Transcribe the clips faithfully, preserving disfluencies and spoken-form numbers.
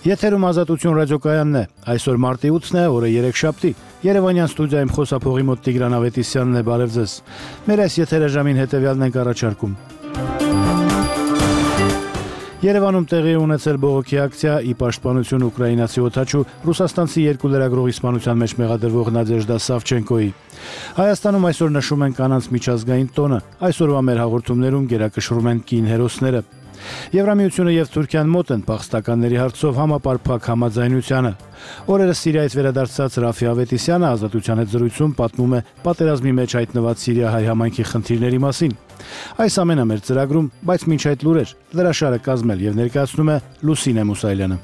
Եթերում Ազատություն ռադիոկայանն է, այսօր մարտի ութն է, օրը երեքշաբթի, Երևանյան ստուդիայում խոսափողի մոտ Տիգրան Ավետիսյանն է, բարև ձեզ։ Մեր այս եթերաժամին հետևյալն ենք առաջարկում։ Երևանում տեղի ունեցել բողոքի ակցիա՝ ի պաշտպանություն ուկրաինացի օդաչու ռուսաստանցի երկու լրագրողի սպանության մեջ մեղադրվող Նադեժդա Սավչենկոյի։ Հայաստանում այսօր նշում են կանանց միջազգային տոնը, այսօրվա մեր հաղորդումներում գերակշռում են կին հերոսները։ Եվրամիությունը եւ Թուրքիան մոտ են փախստականների հարցով համապարփակ համաձայնությանը։ Օրերս Սիրիայից վերադարձած Ռաֆի Ավետիսյանը Ազատության հետ զրույցում պատմում է պատերազմի մեջ հայտնված սիրիահայ համայնքի խնդիրների մասին։ Այս ամենը մեր ծրագրում, բայց մինչ այդ լուրեր, լրաշարը կազմել եւ ներկայացնում է Լուսինե Մուսայելյանը։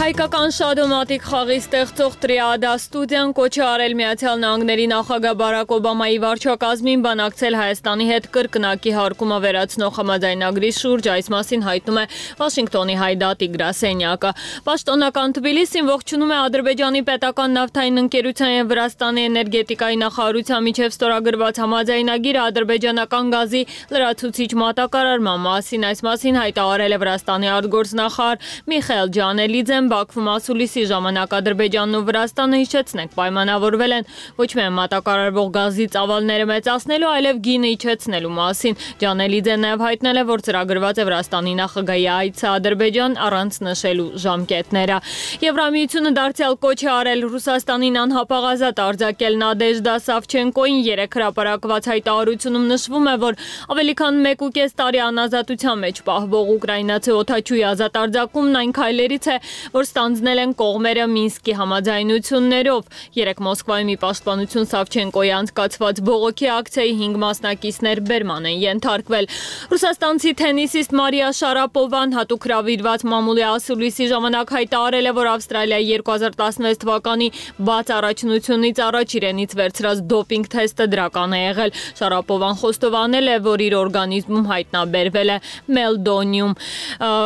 Հայկական շադոմատիկ խաղի ստեղծող Տրիադա ստուդիան կոչ է արել Միացյալ Նահանգների նախագահ Բարակ Օբամայի վարչակազմին բանակցել Հայաստանի հետ կրկնակի հարկումը վերացնող համաձայնագրի շուրջ, այս մասին հայտնում է Վաշինգտոնի հայդատի գրասենյակը։ Պաշտոնական Թբիլիսին ողջունում է Ադրբեջանի պետական նավթային ընկերության եւ Վրաստանի էներգետիկայի նախարարության միջև ստորագրված համաձայնագիրը ադրբեջանական գազի լրացուցիչ մատակարարման մասին, այս մասին հայտարարել է Վրաստանի արտգործնախարար Միխայել Ջանելիձեն։ Բաքվում ասուլիսի ժամանակ Ադրբեջանն ու Վրաստանը, հիշեցնենք, պայմանավորվել են ոչ միայն մատակարարվող գազի ծավալները մեծացնելու, այլև գինը իջեցնելու մասին։ Ջանելիձեն նաև հայտնել է, որ ծրագրված է Վրաստանի նախագահի այցը Ադրբեջան առանց նշելու ժամկետները։ Եվրամիությունը դարձյալ կոչ է արել Ռուսաստանին անհապաղ արձակել Նադեժդա Սավչենկոին։ Երեք հրապարակված հայտարարությունում նշվում է, որ ավելի քան մեկ ու կես տարի անազատության մեջ պահվող ուկրաինացի օդաչուի ազատ արձակումն այն քայլերից է, որ ստանձնել են կողմերը Մինսկի համաձայնություններով։ Երեկ Մոսկվայում ի պաշտպանություն Սավչենկոյի անցկացված բողոքի ակցիայի հինգ մասնակիցներ բերման են ենթարկվել։ Ռուսաստանցի թենիսիստ Մարիա Շարապովան հատուկ հրավիրված մամուլի ասուլիսի ժամանակ հայտարարել է, որ Ավստրալիայի երկու հազար տասնվեց թվականի բաց առաջնությունից առաջ իրենից վերցրած դոպինգ թեստը դրական է եղել։ Շարապովան խոստովանել է, որ իր օրգանիզմում հայտնաբերվել է մելդոնիում։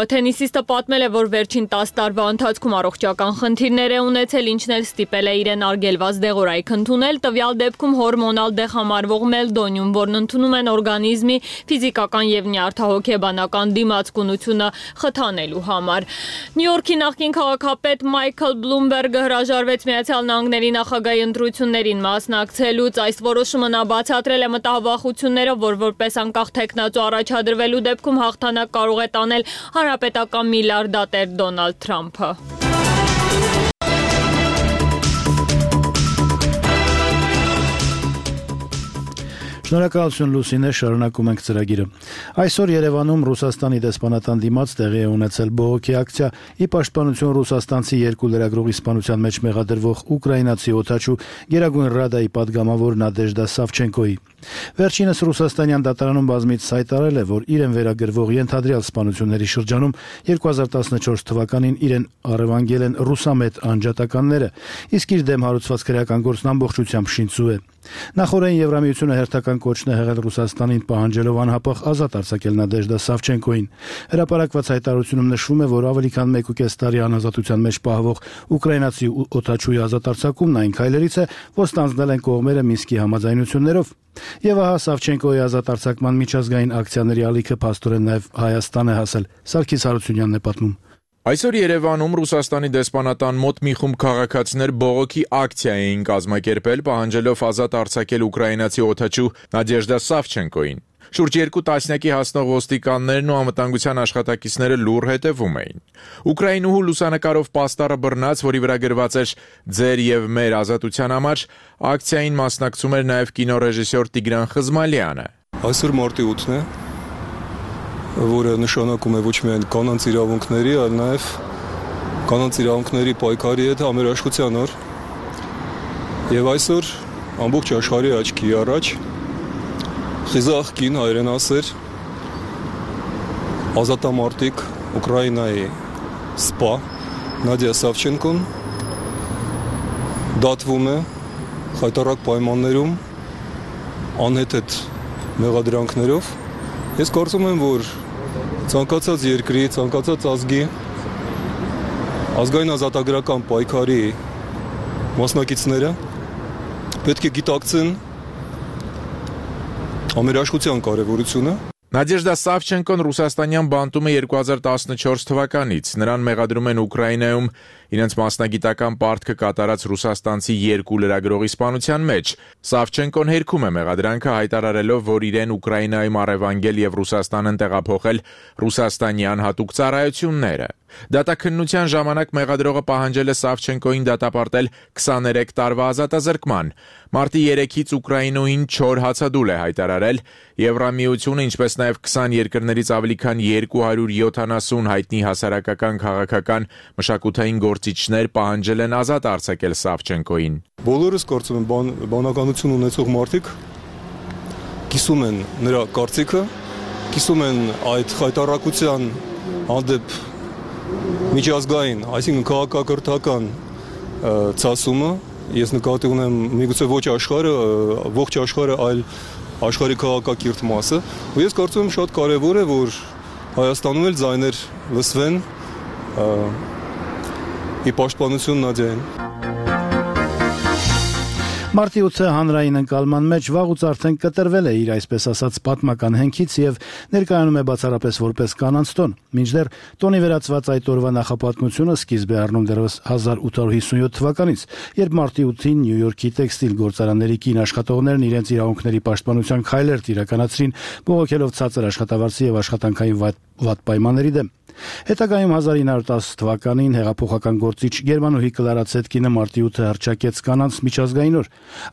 Թենիսիստը պատմել է, որ վերջին տասը տարվա ընթացքում առողջական խնդիրներ է ունեցել, ինչն էլ ստիպել է իրեն արգելված դեղորայք ընդունել, տվյալ դեպքում հորմոնալ դեղ համարվող մելդոնիում, որն ընդունում են օրգանիզմի ֆիզիկական եւ նյարդահոգեբանական դիմացկունությունը խթանելու համար։ Նյու Յորքի նախկին քաղաքապետ Մայքլ Բլումբերգը հրաժարվեց Միացյալ Նահանգների նախագահի ընտրություններին մասնակցելուց։ Այս որոշումը նա բացատրել է մտահոգությունները, որ որպես անկախ թեկնածու առաջադրվելու դեպքում հաղթանակ կարող է տանել հանրապետական միլիարդատեր Դոնալդ Թրամփը։ Շնորհակալություն Լուսինե, շարունակում ենք ծրագիրը։ Այսօր Երևանում Ռուսաստանի դեսպանատան դիմաց տեղի է ունեցել բողոքի ակցիա՝ ի պաշտպանություն ռուսաստանցի երկու լրագրողի սպանության մեջ մեղադրվող ուկրաինացի օդաչու Գերագույն Ռադայի падգամավոր Նադեժդա Սավչենկոյի։ Վերջինս ռուսաստանյան դատարանում բազմից հայտարարել է, որ իրեն վերագրվող ենթադրյալ սպանությունների շրջանում երկու հազար տասնչորս թվականին իրեն առևանգել են ռուսամետ անջատականները, իսկ իր դեմ հարուցված քրեական գործն ամբողջությամբ շինծու է։ Նախորդին Եվրամիությունը հերթական կոչն է եղել Ռուսաստանին պահանջելով անհապաղ ազատ արձակել Նադեժդա Սավչենկոյին։ Հրապարակված հայտարարությունում նշվում է, որ ավելի քան մեկ ու կես տարի անազատության մեջ պահվող ուկրաինացի օդաչուի ազատ արձակումն այն քայլերից է, որ ստանձնել են կողմերը Մինսկի համաձայնություններով։ Եվ ահա Սավչենկոյի ազատ արձակման միջազգային ակցիաների ալիքը փաստորեն նաև Հայաստան է հասել։ Սարգիս Հարությունյանն է պատմում։ Այսօր Երևանում Ռուսաստանի դեսպանատան մոտ մի խումբ քաղաքացիներ բողոքի ակցիա էին կազմակերպել, պահանջելով ազատ արձակել ուկրաինացի օդաչու Նադեժդա Սավչենկոյին։ Շուրջ երկու տասնյակի հասնող ոստիկաններն ու անվտանգության աշխատակիցները լուռ հետևում էին։ Ուկրաինուհու լուսանկարով պաստառը բռնած, որի վրա գրված էր «Ձեր եւ մեր ազատության համար», ակցիային մասնակցում էր նաև կինոռեժիսոր Տիգրան Խզմալյանը։ Այսօր մարտի ութն է, որը նշանակում է ոչ միայն կանանց իրավունքների, այլ նաև կանանց իրավունքների պայքարի հետ համերաշխության օր։ Եվ այսօր ամբողջ աշխարհի աչքի առաջ խիզախ կին հայրենասեր ազատամարտիկ Ուկրաինայի սպա Նադիա Սավչենկոն դատվում է խայտառակ պայմաններում անհեթեթ մեղադրանքներով։ Ես կարծում եմ, որ ցանկացած երկրի, ցանկացած ազգի ազգային ազատագրական պայքարի մասնակիցները պետք է գիտակցեն Ամերաշխության կարևորությունը։ Նադեժդա Սավչենկոն ռուսաստանյան բանտում է երկու հազար տասնչորս թվականից։ Նրան մեղադրում են Ուկրաինայում իրենց մասնագիտական պարտքը կատարած ռուսաստանցի երկու լրագրողի սպանության մեջ։ Սավչենկոն հերքում է մեղադրանքը, հայտարարելով, որ իրեն Ուկրաինայում առևանգել եւ Ռուսաստանն տեղափոխել ռուսաստանյան հատուկ ծառայությունները։ Դատաքննության ժամանակ մեղադրողը պահանջել է Սավչենկոին դատապարտել քսաներեք տարվա ազատազրկման։ Մարտի երեքից Ուկրաինոյին չոր հացադուլ է հայտարարել։ Եվրամիությունը, ինչպես նաև քսան երկրներից ավելի քան երկու հարյուր յոթանասուն հայտնի հասարակական, քաղաքական, մշակութային գործիչներ պահանջել են ազատ արձակել Սավչենկոին։ Բոլորս կարծում եմ բան, բանականություն ունեցող մարդիկ կիսում են նրա կարծիքը, կիսում են այդ խայտառակության հանդեպ միջազգային, այսինքն քաղաքակրթական ցասումը։ Ես նկատի ունեմ միգուցե ոչ աշխարհը, ողջ աշխարհը, այլ աշխարհի քաղաքակիրթ մասը։ Ու ես կարծում եմ շատ կարևոր է, որ Հայաստանում էլ ձայներ լսվեն ի պաշտպանություն Նադիային։ Մարտի ութը հանրային ընկալման մեջ վաղուց արդեն կտրվել է իր այսպես ասած պատմական հենքից եւ ներկայանում է բացառապես որպես կանանց տոն։ Մինչդեռ տոնի վերածված այդ օրվա նախապատմությունը սկիզբ է առնում դեռևս հազար ութ հարյուր հիսունյոթ թվականից, երբ մարտի ութին Նյու Յորքի տեքստիլ գործարանների կին աշխատողներն իրենց իրավունքների պաշտպանության քայլեր իրականացրին, բողոքելով ցածր աշխատավարձի եւ աշխատանքային վատ պայմանների դեմ։ Հետագայում հազար ինը հարյուր տասը թվականին հեղափոխական գործիչ Գերմանուհի Կլարա Ցետկինը մարտի ութը հռչակեց կանանց միջազգային օր։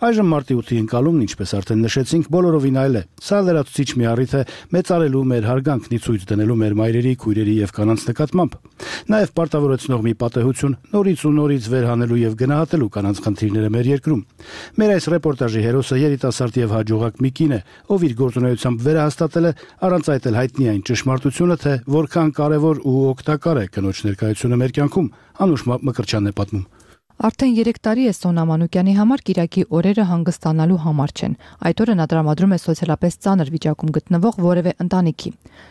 Այժմ մարտի ութի ընկալումն, ինչպես արդեն նշեցինք, բոլորովին այլ է։ Սա լրացուցիչ մի առիթ է մեծարելու մեր հարգանքն ի ցույց դնելու մեր մայրերի, քույրերի եւ կանանց նկատմամբ։ Նաեւ պարտավորեցնող մի պատեհություն նորից ու նորից վերհանելու եւ գնահատելու կանանց խնդիրները մեր երկրում։ Մեր այս ռեպորտաժի հերոսը երիտասարդ եւ հաջողակ մի կին է, ով իր գործունեությամբ վերահաստատել է առանց այդ էլ հայտնի այն ճշմարտությունը, թե որքան կարեւոր ու օգտակար է կնոջ ներկայությունը մեր կյանքում։ Անուշ Մկրտչյանն է պատմում։ Արդեն երեք տարի է Սոնա Մանուկյանի համար Կիրակի օրերը հանգստանալու համար չեն։ Այդ օրը նա տրամադրում է սոցիալապես ծանր վիճակում գտնվող որևէ ընտանիքի։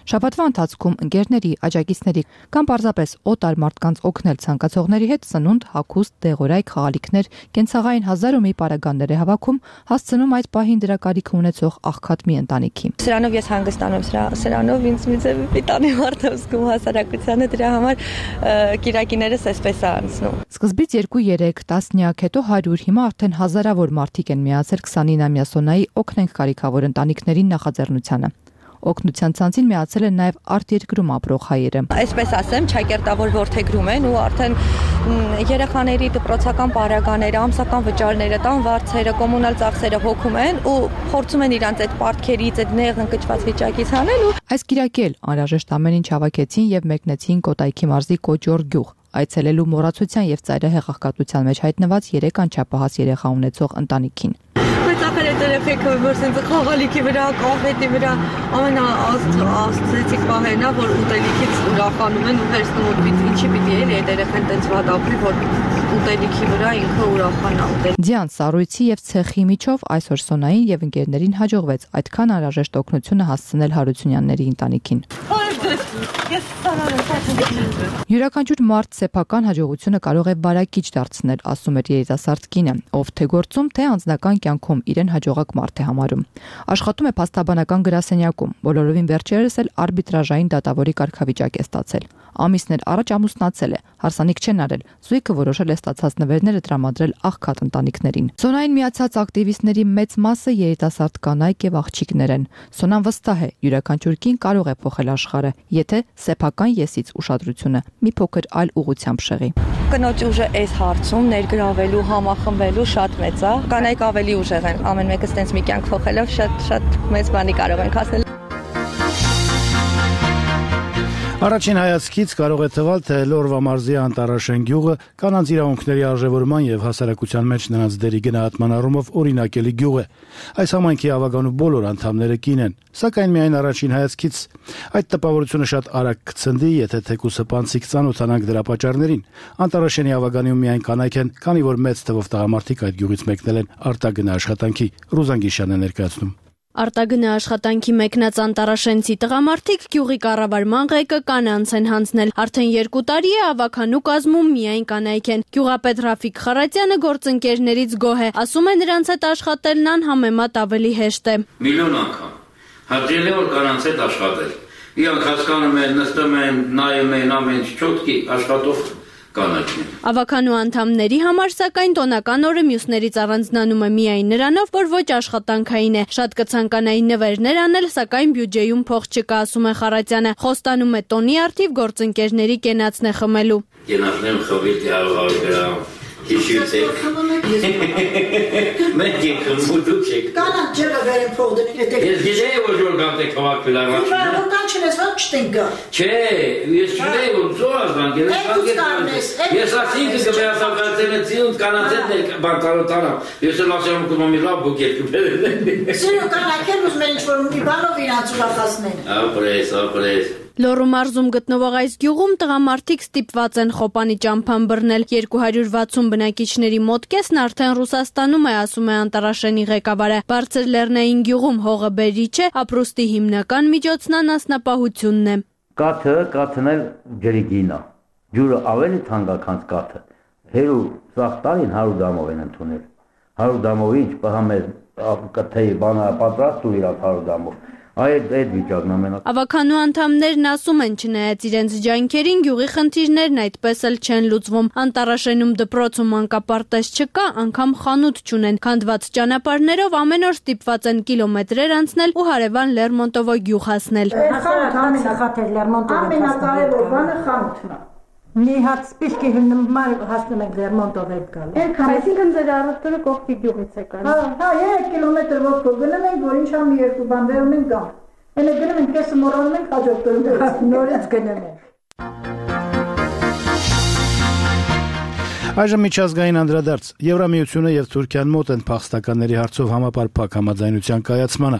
Շաբաթվա ընթացքում ընկերների, աջակիցների կամ պարզապես օտար մարդկանց օգնել ցանկացողների հետ սնունդ, հագուստ, դեղորայք, խաղալիքներ, կենցաղային հազար ու մի պարագաներ է հավաքում, հասցնում այդ պահին դրա կարիքը ունեցող աղքատ մի ընտանիքի։ Սրանով ես հանգստանում, սրանով ինձ մի ձև պիտանի մարդ եմ զգում հասարակությանը, դրա համար Կիրակիներս այսպես է անցնում։ Սկզբից երկու երեք տասնյակ, հետո հարյուր, հիմա արդեն հազարավոր մարդիկ են միացել քսանինամյա Սոնայի օգնենք կարիքավոր ընտանիքներին նախաձեռնությանը։ Օգնության ցանցին միացել են նաև արտերկրում ապրող հայերը։ Այսպես ասեմ, ճակերտավոր ворթեգրում են ու արդեն երեխաների դպրոցական պարագաները, ամսական վճարները, տան վարձերը, կոմունալ ծախսերը հոգում են ու փորձում են իրանց այդ պարտքերից, այդ նեղ ընկճված վիճակից հանել ու այս Կիրակի էլ անհրաժեշտ ամեն ինչ հավաքեցին եւ մեկնեցին Կոտայքի մարզի Կոճոր գյուղ, այցելելու մոռացության եւ ծայրահեղ աղքատության մեջ հայտնված երեք անչափահաս երեխա ունեցող ընտանիքին։ Բայց ախր այդ երեխեքը որ սենց խաղալիքի վրա, կոնֆետի վրա ամենաաստծեցիկ պահերն է, որ ուտելիքից ուրախանում են ու հերցնում որ ինչի պիտի էլի այդ երեխան տենց վատ ապրի, որ ուտելիքի վրա ինքը ուրախանա ուտել։ Ձյան սառույցի եւ ցեխի միջով այսօր Սոնային եւ ընկերներին հաջողվեց այդքան անհրաժեշտ օգնությունը հասցնել Հարությունյանների ընտանիքին։ Յուրաքանչյուր մարդ սեփական հաջողությունը կարող է բարակիչ դարձնել, ասում էր երիտասարդ կինը, ով թե գործում, թե անձնական կյանքում իրեն հաջողակ մարդ է համարում։ Աշխատում է փաստաբանական գրասենյակում, բոլորովին վերջերս էլ արբիտրաժային դատավորի կարգավիճակ է ստացել։ Ամիսներ առաջ ամուսնացել է, հարսանիք չեն արել, զույգը որոշել է ստացած նվերները տրամադրել աղքատ ընտանիքներին։ Սոնային միացած ակտիվիստների մեծ մասը երիտասարդ կանայք եւ աղջիկներ են։ Սոնան վստահ է, յուրաքանչյուր կին կարող է փոխել աշխարհը, եթե սեփական եսից ուշադրությունը մի փոքր այլ ուղղությամբ շեղի։ Կնոջ ուժը այս հարցում ներգրավելու, համախմբելու շատ մեծ է։ Կանայք ավելի ուժեղ են, ամեն մեկը ստենց մի կյանք փոխելով շատ շատ մեծ բանի կարող են հասնել։ Առաջին հայացքից կարող է թվալ, թե Լորվա մարզի Անտարաշեն գյուղը կանանց իրավունքների արժևորման եւ հասարակության մեջ նրանց դերի գնահատման առումով օրինակելի գյուղ է։ Այս համայնքի ավագանու բոլոր անդամները կին են, սակայն միայն առաջին հայացքից այդ տպավորությունը շատ արագ կցնդի, եթե թեկուսը պանցիկ ծանոթանանք դրա պատճառներին։ Անտարաշենի ավագանիում միայն կանայք են, քանի որ մեծ թվով տղամարդիկ այդ գյուղից մեկնել են արտագնա աշխատանքի։ Ռուզան Գիշյանն է ներկայացնում։ Արտագնա աշխատանքի մեկնած անտարաշենցի տղամարդիկ գյուղի կառավարման ղեկը կանանց են հանձնել։ Արդեն երկու տարի է ավագանու կազմում միայն կանայք են։ Գյուղապետ Ռաֆիկ Խարատյանը գործընկերներից գոհ է, ասում է նրանց հետ աշխատելն անհամեմատ ավելի հեշտ է։ Միլիոն անգամ Հաճելի որ կանանց հետ աշխատել։ Իրանք հասկանում են, նստում են, նայում են ամեն ինչ չոտքի աշխատող կանայք։ Ավականու անդամների համար սակայն տոնական օրը մյուսներից առանձնանում է միայն նրանով, որ ոչ աշխատանքային է։ Շատ կցանկանային նվերներ անել, սակայն բյուջեում փող չկա, ասում է Խարատյանը։ Խոստանում է տոնի արդիվ գործընկերների կենացն է խմելու։ Կենացնեմ խմել հարյուր գրամ։ Հիշեցեք։ Մենք ենք խմուդուք եք։ Կանանք ջրը վերեն փող դնի։ Ես գիտեի որ որ գանտեք հավաքվել առաջ։ Որքան չնես ո՞ր չտենք գա։ Չէ, ես չունեի որ զորած բանկեր, ես ասինք կվերացակալցել են ծիունդ կանացետներ բանկարոտանա։ Ես էլ ասեմ կոմ մի լավ բուկետ կբերեն։ Սիրո կանայք են ուզում են ինչ-որ մի բանով իրանց ուրախացնեն։ Ապրես, ապրես։ Լոռու մարզում գտնվող այս գյուղում տղամարդիկ ստիպված են խոպանի ճամփան բռնել։ երկու հարյուր վաթսուն բնակիչների մոտ կեսն արդեն Ռուսաստանում է, ասում է Անտարաշենի ղեկավարը։ Բարձր Լեռնային գյուղում հողը բերիչ է, ապրուստի հիմնական միջոցն անասնապահությունն է։ Կաթը, կաթն էլ ջրի գինա։ Ջուրը ավելի թանկ է, քան կաթը։ Հերու սաղ տարին հարյուր դամով են ընդունել։ հարյուր դամով ինչ պահամեր կթեի բանը պատրաստ ու իրաց հարյուր դամով։ Այդ այդ վիճակն ամենակ։ Ավականու անդամներն ասում են, չնայած իրենց ջանքերին, գյուղի խնդիրներն այդպես էլ չեն լուծվում։ Անտարաշենում դպրոցում մանկապարտեզ չկա, անգամ խանութ չունեն։ Քանդված ճանապարհներով ամեն օր ստիպված են կիլոմետրեր անցնել ու հարևան Լերմոնտովո գյուղ հասնել։ Ամենակարևոր բանը խանութն է։ Մի հատ սպիսկի հիմնմար հասնում ենք Լերմոնտով հետ գալ։ Այսինքն ձեր առօրյա կողքի գյուղից եք գալու։ Հա, հա, երեք կիլոմետր ոտքով գնում ենք, որ ինչա մի երկու բան վերում ենք գամ։ Էնը գնում ենք, կեսը մոռանում ենք, հաջորդ օրը նորից գնում ենք։ Այժմ միջազգային անդրադարձ։ Եվրամիությունը եւ Թուրքիան մոտ են փախստականների հարցով համապարփակ համաձայնության կայացմանը։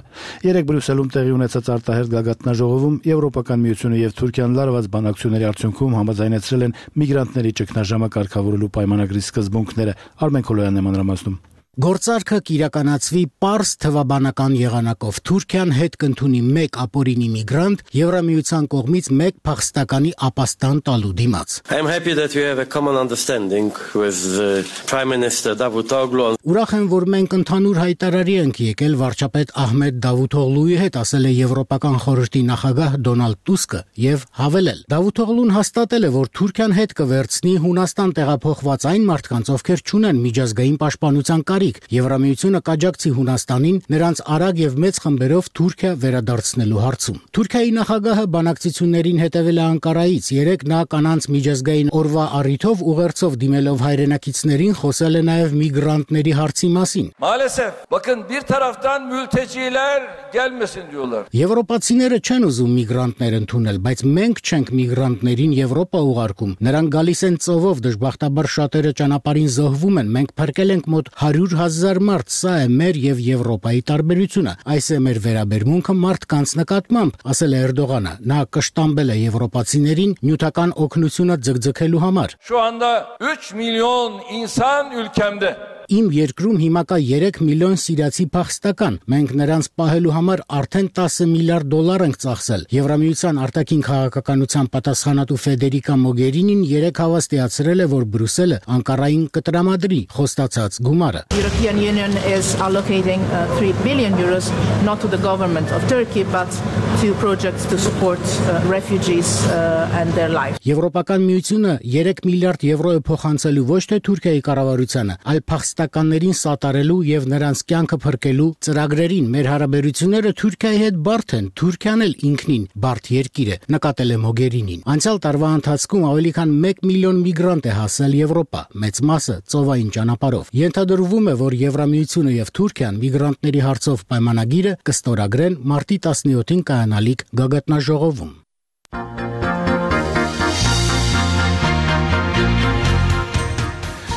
Երեք Բրյուսելում տեղի ունեցած արտահերթ գագաթնաժողովում Եվրոպական միությունը եւ Թուրքիան լարված բանակցությունների արդյունքում համաձայնեցրել են միգրանտների ճգնաժամը կարգավորելու պայմանագրի սկզբունքները։ Արմեն Քոլոյանն է մանրամասնում։ Գործարքը կիրականացվի պարզ թվաբանական եղանակով։ Թուրքիան հետ կընդունի մեկ ապօրինի միգրանտ, Եվրամիության կողմից մեկ փախստականի ապաստան տալու դիմաց։ I am happy that we have a common understanding with the Prime Minister Davutoglu. Ուրախ եմ, որ մենք ընդհանուր հայտարարի ենք եկել վարչապետ Ահմեդ Դավութօղլուի հետ, ասել է Եվրոպական խորհրդի նախագահ Դոնալդ Տուսկը եւ հավելել. Դավութօղլուն հաստատել է, որ Թուրքիան հետ կվերցնի Հունաստան տեղափոխված այն մարդկանց, ովքեր չունեն միջազգային պաշտպանության կարիք։ Եվրամիությունը կաջակցի Հունաստանին նրանց արագ եւ մեծ խմբերով Թուրքիա վերադարձնելու հարցում։ Թուրքիայի նախագահը բանակցություններին հետևել է Անկարայից։ Երեք նա կանանց միջազգային օրվա առիթով ուղերձով դիմելով հայրենակիցներին խոսել է նաեւ միգրանտների հարցի մասին։ Maalesef bakın bir taraftan mülteciler gelmesin diyorlar. Եվրոպացիները չեն ուզում միգրանտներ ընդունել, բայց մենք չենք միգրանտներին Եվրոպա ուղարկում։ Նրանք գալիս են ծովով, դժբախտաբար շատերը ճանապարհին զոհվում են։ Մենք փրկել ենք մոտ հարյուր հազար մարդ, սա է մեր եւ Եվրոպայի տարբերությունը։ Այս է մեր վերաբերմունքը մարդկանց նկատմամբ, ասել է Էրդողանը։ Նա կշտամբել է եվրոպացիներին նյութական օգնությունը ձգձգելու համար։ Şu anda üç milyon insan ülkemde. Իմ երկրում հիմա կա երեք միլիոն սիրիացի փախստական։ Մենք նրանց պահելու համար արդեն տասը միլիարդ դոլար ենք ծախսել։ Եվրամիության արտաքին քաղաքականության պատասխանատու Ֆեդերիկա Մոգերինին երեք հավաստիացրել է, որ Բրյուսելը Անկարային կտրամադրի խոստացած գումարը։ European Union is allocating uh, three billion euros not to the government of Turkey but to projects to support uh, refugees uh, and their life. Եվրոպական միությունը երեք միլիարդ եվրո է փոխանցելու ոչ թե Թուրքիայի կառավարությանը, այլ փախստականներին սատարելու եւ նրանց կյանքը փրկելու ծրագրերին։ Մեր հարաբերությունները Թուրքիայի հետ բարդ են, Թուրքիան էլ ինքնին բարդ երկիր է, նկատել է Մոգերինին։ Անցյալ տարվա ընթացքում ավելի քան մեկ միլիոն միգրանտ է հասել Եվրոպա, մեծ մասը ծովային ճանապարհով։ Ենթադրվում է, որ Եվրամիությունը եւ Թուրքիան միգրանտների հարցով պայմանագիրը կստորագրեն մարտի տասնյոթին կայանալիք գագաթնաժողովում։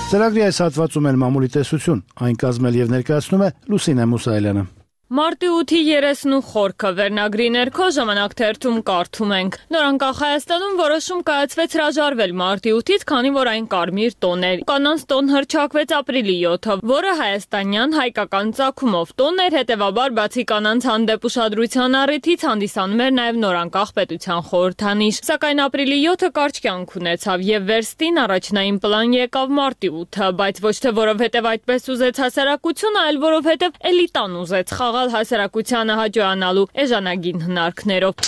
Ծրագրի այս հատվածում էլ մամուլի տեսություն, այն կազմել եւ ներկայացնում է Լուսինե Մուսայելյանը։ Մարտի ութի երեսնու խորքը վերնագրի ներքո ժամանակ թերթում կարդում ենք. Նորանկախ Հայաստանում որոշում կայացվեց հրաժարվել մարտի ութից, քանի որ այն կարմիր տոն էր։ Կանանց տոն հռչակվեց ապրիլի յոթը, որը հայաստանյան հայկական ծագումով տոն էր, հետևաբար բացի կանանց հանդեպ ուշադրության առիթից հանդիսանում էր նաև նորանկախ պետության խորհրդանիշ։ Սակայն ապրիլի յոթը կարճ կյանք ունեցավ եւ վերստին առաջնային պլան եկավ մարտի ութը, բայց ոչ թե որովհետեւ այդպես ուզեց հասարակությունը, այլ որովհետեւ էլիտան ուզեց խաղ խաղալ հասարակությանը հաջողանալու էժանագին հնարքներով։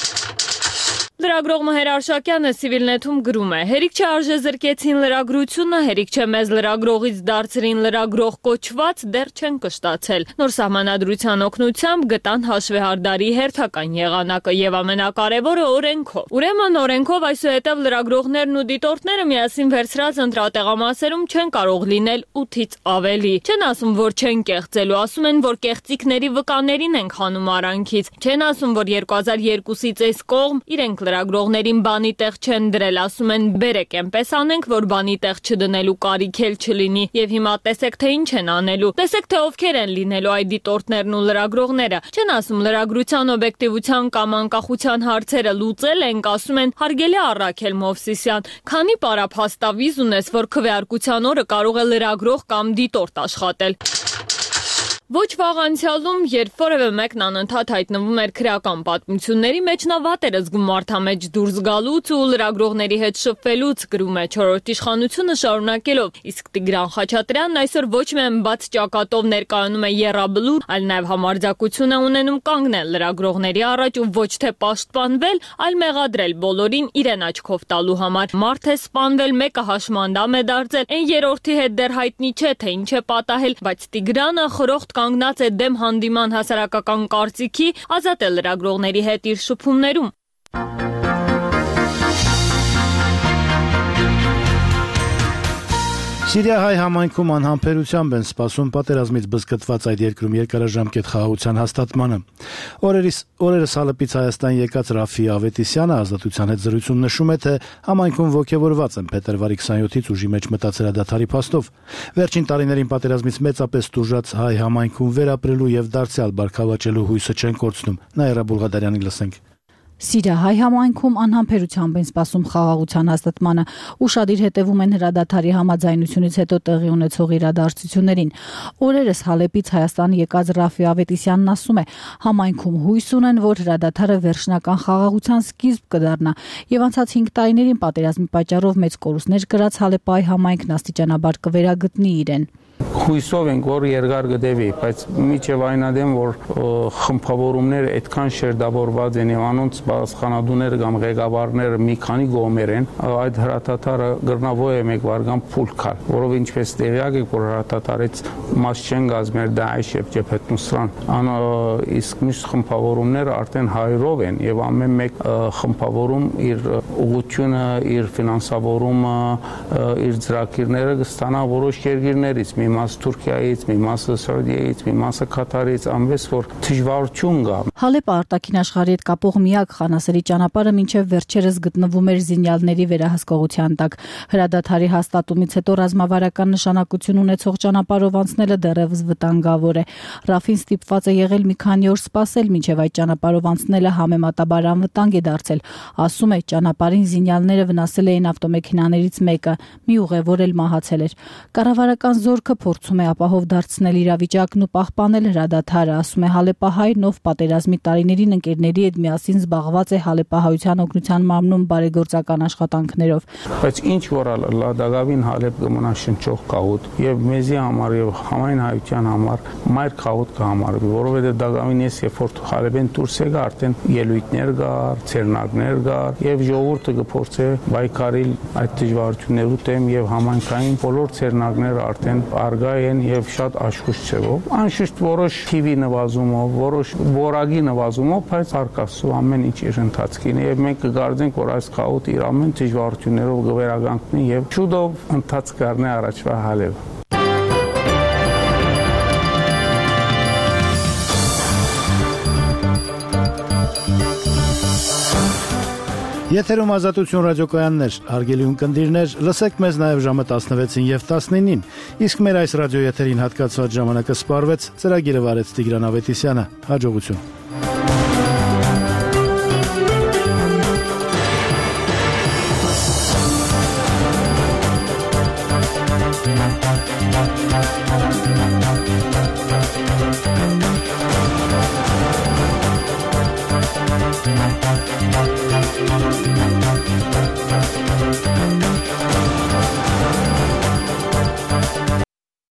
Լրագրող Մհեր Արշակյանը Civilnet-ում գրում է. «Հերիք չէ արժե զրկեցին լրագրությունը, հերիք չէ մեզ լրագրողից դարձրին լրագրող կոչված, դեռ չեն կշտացել։ Նոր սահմանադրության օգնությամբ գտան հաշվեհարդարի հերթական եղանակը եւ ամենակարևորը օրենքով։ Ուրեմն օրենքով այսուհետև լրագրողներն ու դիտորդները միասին վերցրած ընտրատեղամասերում չեն կարող լինել ութից ավելի։ Չեն ասում, որ չեն կեղծելու, ասում են, որ կեղծիքների վկաներին են խանում արանքից։ Չեն ասում, որ երկու հազար երկուսից այս կողմ իրենք լրագրողներին բանի տեղ չեն դրել, ասում են բերեք այնպես անենք, որ բանի տեղ չդնելու կարիք էլ չլինի եւ հիմա տեսեք թե ինչ են անելու, տեսեք թե ովքեր են լինելու այդ դիտորդներն ու լրագրողները, չեն ասում լրագրության օբյեկտիվության կամ անկախության հարցերը լուծել ենք, ասում են հարգելի Առաքել Մովսիսյան, քանի պարափաստավիզ ունես, որ քվեարկության օրը կարող է լրագրող կամ դիտորդ աշխատել։ Ոչ վաղ անցյալում, երբ որևէ մեկն անընդհատ հայտնվում էր քրեական պատմությունների մեջ, նա վատ էր զգում մարդամեջ դուրս գալուց ու լրագրողների հետ շփվելուց, գրում է չորրորդ իշխանությունը շարունակելով, իսկ Տիգրան Խաչատրյանն այսօր ոչ միայն բաց ճակատով ներկայանում է եռաբլուր, այլ նաև համարձակություն է ունենում կանգնել լրագրողների առաջ ու ոչ թե պաշտպանվել, այլ մեղադրել բոլորին իրեն աչքով տալու համար։ Մարդ է սպանվել, մեկը հաշմանդամ է դարձել, այն երրորդի հետ դեռ հայտնի չէ, թե ինչ է պատահել, բայց Տիգրանը խրոխտ կանգնած է դեմ հանդիման հասարակական կարծիքի, ազատ է լրագրողների հետ իր շփումներում։ Սիրիա-հայ համայնքում անհամբերությամբ են սպասում պատերազմից բզկտված այդ երկրում երկարաժամկետ խաղաղության հաստատմանը։ Օրերս օրերս Հալեպից Հայաստան եկած Ռաֆի Ավետիսյանը ազատության հետ զրույցում նշում է, թե համայնքում ոգևորված են փետրվարի քսանյոթից ուժի մեջ մտած հրադադարի փաստով։ Վերջին տարիներին պատերազմից մեծապես տուժած հայ համայնքում վերապրելու եւ դարձյալ բարգավաճելու հույսը չեն կորցնում։ Նաիրա Բուլղադարյանի լսենք։ Սիրիա-հայ համայնքում անհամբերությամբ են սպասում խաղաղության հաստատմանը, ուշադիր հետևում են հրադադարի համաձայնությունից հետո տեղի ունեցող իրադարձություններին։ Օրերս Հալեպից Հայաստան եկած Ռաֆի Ավետիսյանն ասում է, համայնքում հույս ունեն, որ հրադադարը վերջնական խաղաղության սկիզբ կդառնա, եւ անցած հինգ տարիներին պատերազմի պատճառով մեծ կորուստներ կրած Հալեպայի համայնքն աստիճանաբար կվերագտնի իրեն։ Հույսով ենք, որ երկար կդեվի, բայց միջև այնադեմ, որ խմբավորումները այդքան շերտավորված են եւ անոնց բացխանադուները կամ ղեկավարները մի քանի գոմեր են, այդ հրատատարը գրնավո է մեկ վարգան փուլ կար, որով ինչպես տեղյակ եք, որ հրատատարից մաս չեն գազմեր Դաեշ եւ Ջեփեթ Նուսրան, ան իսկ մյուս խմբավորումները արդեն հայրով են եւ ամեն մեկ խմբավորում իր ուղղությունը, իր ֆինանսավորումը, իր ծրագիրները կստանա որոշ երկրներից, մի մասը Թուրքիայից, մի մասը Սաուդիայից, մի մասը Կատարից, անվես որ դժվարություն կա։ Հալեպը արտաքին աշխարհի հետ կապող միակ խանասերի ճանապարհը մինչև վերջերս գտնվում էր զինյալների վերահսկողության տակ։ Հրադադարի հաստատումից հետո ռազմավարական նշանակություն ունեցող ճանապարհով անցնելը դեռևս վտանգավոր է։ Ռաֆին ստիպված է եղել մի քանի օր սպասել, մինչև այդ ճանապարհով անցնելը համեմատաբար անվտանգ է դարձել։ Ասում է, ճանապարհին զինյալները վնասել էին ավտոմեքենաներից մեկը, մի ուղևոր էլ մահացել էր։ Կառավարական զորքը փորձում է ապահով դարձնել իրավիճակն ու պահպանել հրադադարը, ասում է Հալեպահայ նով պատերազմի տարիներին ընկերների հետ միասին զբաղված է Հալեպահայության օգնության մարմնում բարեգործական աշխատանքներով։ Բայց ինչ որ լադագավին Հալեպ կմնա շնչող կահուտ եւ մեզի համար եւ համայն հայության համար մայր կահուտ կհամարվի, որովհետեւ դագավին ես երբ որ Հալեպեն դուրս եկա արդեն ելույթներ կար, ցերնակներ կար եւ ժողովուրդը կփորձե բայկարիլ այդ դժվարություններու դեմ եւ համայնքային բոլոր ցերնակները արդեն արգա են եւ շատ աշխույժ չեղով, անշուշտ որոշ թիվի նվազումով, որոշ որակի նվազումով, բայց արկասու ամեն ինչ իր ընթացքին է եւ մենք կգարձենք, որ այս խաղոտ իր ամեն դժվարություններով կվերականգնի եւ շուտով ընթաց կառնի առաջվա Հալեպ։ Եթերում Ազատություն ռադիոկայաններ, հարգելի ունկնդիրներ, լսեք մեզ նաև ժամը տասնվեցին եւ տասնինին, իսկ մեր այս ռադիոեթերին հատկացված ժամանակը սպառվեց, ծրագիրը վարեց Տիգրան Ավետիսյանը, հաջողություն։